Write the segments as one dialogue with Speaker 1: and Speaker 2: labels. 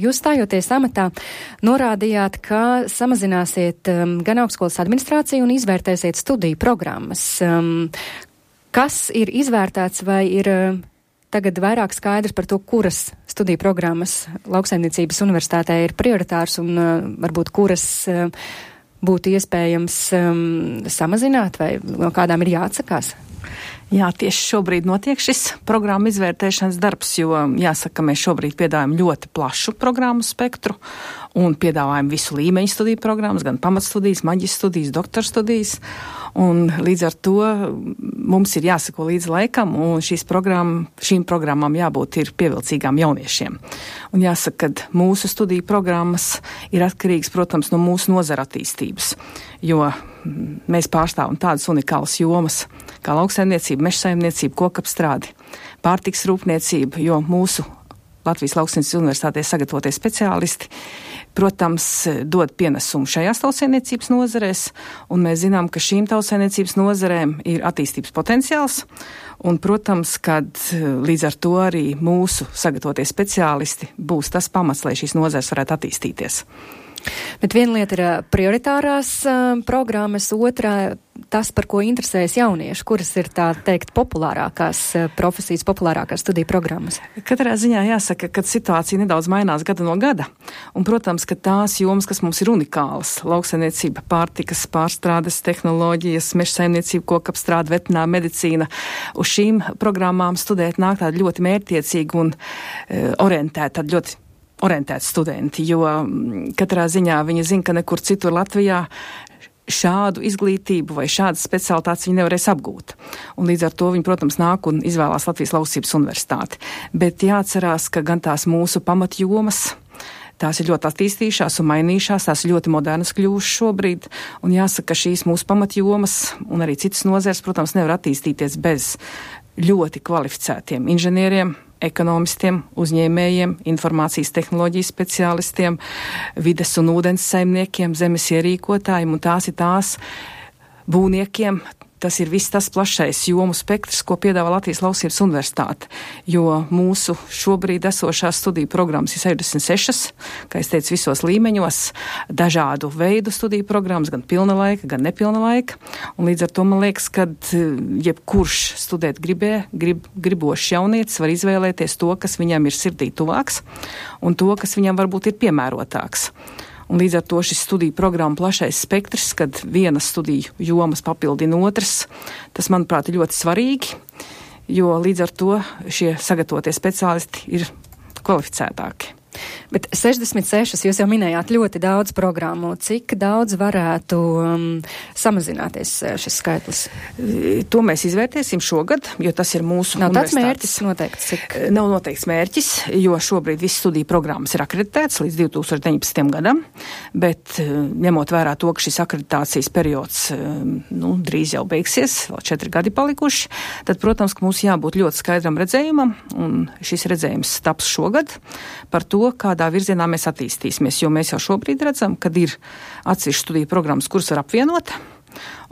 Speaker 1: Jūs stājoties amatā, norādījāt, ka samazināsiet gan augstskolas administrāciju un izvērtēsiet studiju programmas. Kas ir izvērtēts vai ir tagad vairāk skaidrs par to, kuras studiju programmas Lauksaimniecības universitātē ir prioritārs un varbūt kuras būtu iespējams samazināt vai no kādām ir jāatsakās?
Speaker 2: Jā, tieši šobrīd notiek šis programmu izvērtēšanas darbs, jo jāsaka, mēs šobrīd piedāvājam ļoti plašu programmu spektru un piedāvājam visu līmeņu studiju programmas, gan pamatstudijas, maģistra studijas, doktora studijas, un līdz ar to mums ir jāsako līdz laikam, un šīm programmām jābūt ir pievilcīgām jauniešiem. Un jāsaka, ka mūsu studiju programmas ir atkarīgas, protams, no mūsu nozara attīstības, jo mēs pārstāvam tādas unikālas jomas kā lauksaimniecība, mežsaimniecība, kokapstrādi, pārtiks rūpniecība, jo mūsu Latvijas Lauksaimniecības universitātē sagatavotie speciālisti, protams, dod pienesumu šajās tautsaimniecības nozarēs, un mēs zinām, ka šīm tautsaimniecības nozarēm ir attīstības potenciāls, un, protams, kad līdz ar to arī mūsu sagatavotie speciālisti būs tas pamats, lai šīs nozares varētu attīstīties.
Speaker 1: Bet viena lieta ir prioritārās programmas, otrā tas, par ko interesējas jaunieši, kuras ir tā teikt populārākās profesijas, populārākās studiju programmas.
Speaker 2: Katrā ziņā jāsaka, ka situācija nedaudz mainās gada no gada, un, protams, ka tās jomas, kas mums ir unikālas, lauksaimniecība, pārtikas, pārstrādes, tehnoloģijas, mežsaimniecība, kokapstrāde, veterinārā medicīna, uz šīm programmām studēt nāk tādi ļoti mērķtiecīgi un orientēti, ļoti orientēti studenti, jo katrā ziņā viņi zina, ka nekur citur Latvijā šādu izglītību vai šādas specialitātes viņi nevarēs apgūt. Un līdz ar to viņi, protams, nāk un izvēlās Latvijas Lauksaimniecības universitāti. Bet jāatcerās, ka gan tās mūsu pamatjomas, tās ir ļoti attīstījušās un mainījušās, tās ir ļoti modernas kļuvušas šobrīd, un jāsaka, ka šīs mūsu pamatjomas un arī citas nozeres, protams, nevar attīstīties bez ļoti kvalificētiem inženieriem, ekonomistiem, uzņēmējiem, informācijas tehnoloģijas speciālistiem, vides un ūdens saimniekiem, zemes ierīkotājiem, un tās ir tās būvniekiem. Tas ir viss tas plašais jomu spektrs, ko piedāvā Latvijas Lauksaimniecības universitāte, jo mūsu šobrīd esošās studiju programmas ir 66, kā es teicu, visos līmeņos, dažādu veidu studiju programmas, gan pilna laika, gan nepilna laika, un līdz ar to man liekas, ka jebkurš studēt gribošs jaunietis var izvēlēties to, kas viņam ir sirdī tuvāks, un to, kas viņam varbūt ir piemērotāks. Un līdz ar to šis studiju programma plašais spektrs, kad vienas studiju jomas papildina otras, tas, manuprāt, ir ļoti svarīgi, jo līdz ar to šie sagatavotie speciālisti ir kvalificētāki.
Speaker 1: Bet 66, jūs jau minējāt ļoti daudz programmu. Cik daudz varētu samazināties šis skaitlis?
Speaker 2: To mēs izvērtēsim šogad, jo tas ir mūsu
Speaker 1: Nav tāds mērķis noteikts?
Speaker 2: Nav noteikts mērķis, jo šobrīd visas studiju programmas ir akreditētas līdz 2019. gadam, bet ņemot vērā to, ka šis akreditācijas periods drīz jau beigsies, vēl 4 gadi palikuši, tad, protams, ka mums jābūt ļoti skaidram redzējumam, un šis redzējums taps šogad par to, kādā virzienā mēs attīstīsimies, jo mēs jau šobrīd redzam, kad ir atsevišķas studiju programmas, kuras var apvienot.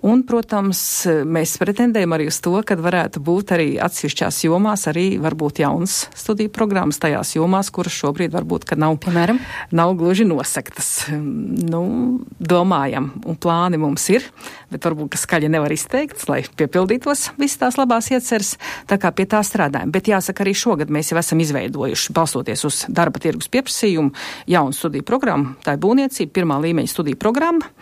Speaker 2: Un, protams, mēs pretendējam arī uz to, ka varētu būt arī atsevišķās jomās arī varbūt jaunas studiju programmas tajās jomās, kuras šobrīd varbūt, ka nav gluži nosegtas. Domājam, un plāni mums ir, bet varbūt, ka skaļi nevar izteikts, lai piepildītos visas tās labās ieceres, tā kā pie tā strādājam. Bet jāsaka, arī šogad mēs jau esam izveidojuši, balstoties uz darba tirgus pieprasījumu, jaunu studiju programmu, tā ir būvniecība, pirmā līmeņa studiju programma,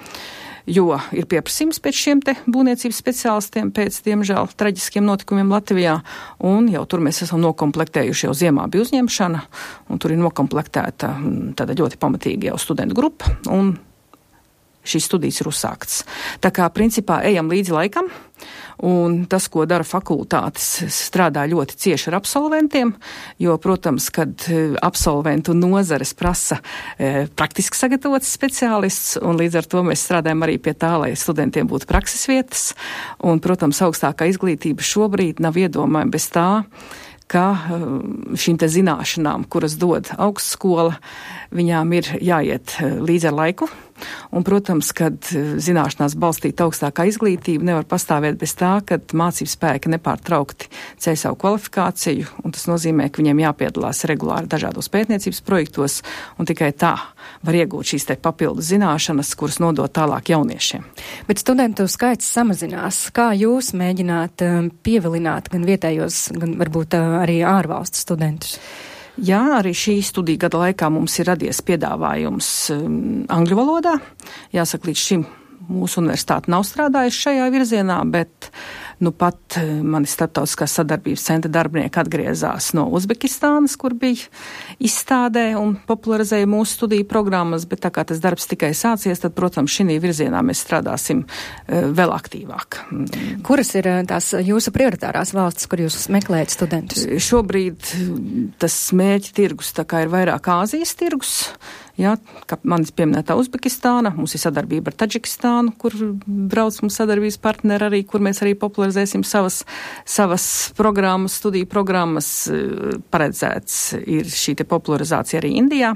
Speaker 2: jo ir pieprasījums pēc šiem te būvniecības speciālistiem pēc, diemžēl, traģiskiem notikumiem Latvijā, un jau tur mēs esam nokomplektējuši, jau ziemā bija uzņemšana, un tur ir nokomplektēta tāda ļoti pamatīga jau studentu grupa, un šīs studijas ir uzsāktas. Tā kā, principā, ejam līdzi laikam, un tas, ko dara fakultātes, strādā ļoti cieši ar absolventiem, jo, protams, kad absolventu nozares prasa praktiski sagatavots speciālists, un līdz ar to mēs strādājam arī pie tā, lai studentiem būtu prakses vietas, un, protams, augstākā izglītība šobrīd nav iedomājama bez tā, ka šīm te zināšanām, kuras dod augstskola, viņām ir jāiet līdz ar laiku, Un, protams, kad zināšanās balstīta augstākā izglītība nevar pastāvēt bez tā, ka mācību spēki nepārtraukti ceļ savu kvalifikāciju, un tas nozīmē, ka viņiem jāpiedalās regulāri dažādos pētniecības projektos, un tikai tā var iegūt šīs te papildu zināšanas, kuras nodot tālāk jauniešiem.
Speaker 1: Bet studentu skaits samazinās. Kā jūs mēģināt pievilināt gan vietējos, gan varbūt arī ārvalstu studentus?
Speaker 2: Jā, arī šī studija gada laikā mums ir radies piedāvājums angļu valodā. Jāsaka, līdz šim mūsu universitāte nav strādājusi šajā virzienā, bet pat mani starptautiskās sadarbības centra darbinieki atgriezās no Uzbekistānas, kur bija izstādē un popularizēja mūsu studiju programmas, bet tā kā tas darbs tikai sācies, tad, protams, šī virzienā mēs strādāsim vēl aktīvāk.
Speaker 1: Kuras ir tās jūsu prioritārās valstis, kur jūs meklējat studentus?
Speaker 2: Šobrīd tas mērķa tirgus tā kā ir vairāk Āzijas tirgus. Jā, kā manis pieminētā Uzbekistāna, mums ir sadarbība ar Taģikistānu, kur brauc mums sadarbības partneri arī, kur mēs arī popularizēsim savas programmas, studiju programmas. Paredzēts ir šī te popularizācija arī Indijā.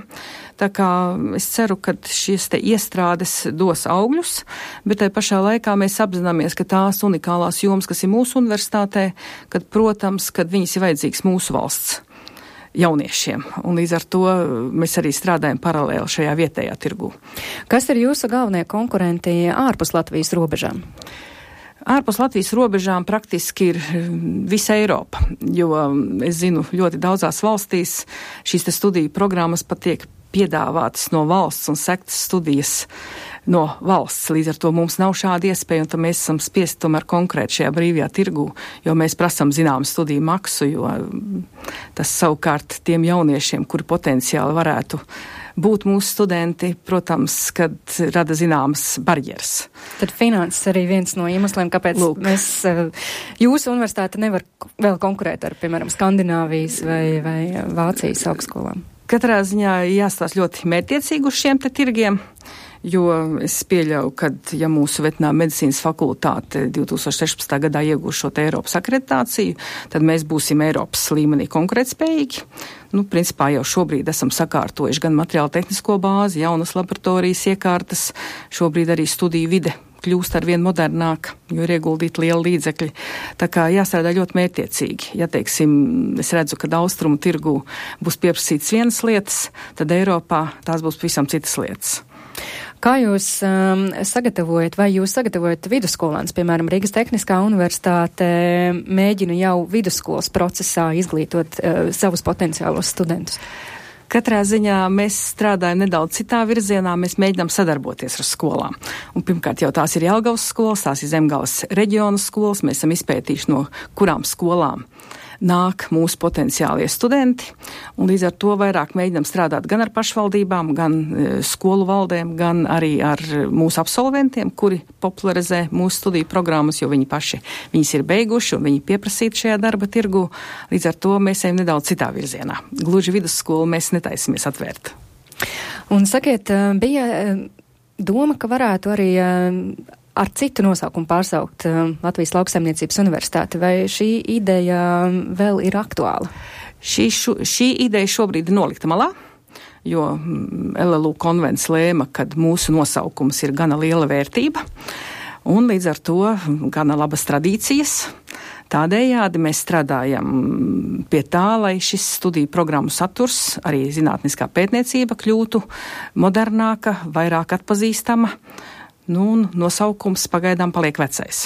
Speaker 2: Tā kā es ceru, ka šīs te iestrādes dos augļus, bet tai pašā laikā mēs apzināmies, ka tās unikālās jomas, kas ir mūsu universitātē, kad, protams, kad viņas ir vajadzīgs mūsu valsts jauniešiem, un līdz ar to mēs arī strādājam paralēli šajā vietējā tirgū.
Speaker 1: Kas ir jūsu galvenie konkurenti ārpus Latvijas robežām?
Speaker 2: Ārpus Latvijas robežām praktiski ir visa Eiropa, jo es zinu, ļoti daudzās valstīs šīs te studiju programmas pat tiek piedāvātas no valsts un sektas studijas no valsts. Līdz ar to mums nav šāda iespēja, un tad mēs esam spiesti tomēr konkrēti šajā brīvajā tirgū, jo mēs prasam zināmu studiju maksu, jo tas savukārt tiem jauniešiem, kuri potenciāli varētu būt mūsu studenti, protams, kad rada zināmas barjeras.
Speaker 1: Tad finanses arī viens no iemesliem, kāpēc jūsu universitāte nevar vēl konkurēt ar, piemēram, Skandināvijas vai Vācijas augstskolām.
Speaker 2: Katrā ziņā jāstāsta ļoti mērķtiecīgi uz šiem te tirgiem, jo es pieļauju, ka ja mūsu veterināru medicīnas fakultāte 2016. gadā iegūs šo te Eiropas akreditāciju, tad mēs būsim Eiropas līmenī konkurētspējīgi. Principā jau šobrīd esam sakārtojuši gan materiālu tehnisko bāzi, jaunas laboratorijas iekārtas, šobrīd arī studiju vide kļūst ar vien modernāk, jo ir ieguldīti lieli līdzekļi. Tā kā jāstrādā ļoti mērķtiecīgi. Ja, teiksim, es redzu, ka austrumu tirgu būs pieprasītas vienas lietas, tad Eiropā tās būs pavisam citas lietas.
Speaker 1: Kā jūs sagatavojat, vai jūs sagatavojat vidusskolāns, piemēram, Rīgas Tehniskā universitāte mēģina jau vidusskolas procesā izglītot savus potenciālos studentus?
Speaker 2: Katrā ziņā mēs strādājam nedaudz citā virzienā, mēs mēģinām sadarboties ar skolām. Un pirmkārt jau tās ir Jelgavas skolas, tās ir Zemgales reģiona skolas, mēs esam izpētījuši, no kurām skolām nāk mūsu potenciālie studenti, un līdz ar to vairāk mēģinām strādāt gan ar pašvaldībām, gan skolu valdēm, gan arī ar mūsu absolventiem, kuri popularizē mūsu studiju programmas, jo viņas ir beiguši un viņi pieprasīti šajā darba tirgu. Līdz ar to mēs ejam nedaudz citā virzienā. Gluži vidusskolu mēs netaisamies atvērt.
Speaker 1: Un sakiet, bija doma, ka varētu arī ar citu nosaukumu pārsaukt Latvijas Lauksaimniecības universitāti, vai šī ideja vēl ir aktuāla?
Speaker 2: Šī ideja šobrīd ir nolikta malā, jo LLU konvents lēma, ka mūsu nosaukums ir gana liela vērtība, un līdz ar to gana labas tradīcijas. Tādējādi mēs strādājam pie tā, lai šis studiju programmu saturs, arī zinātniskā pētniecība kļūtu modernāka, vairāk atpazīstama. Un nosaukums pagaidām paliek vecais.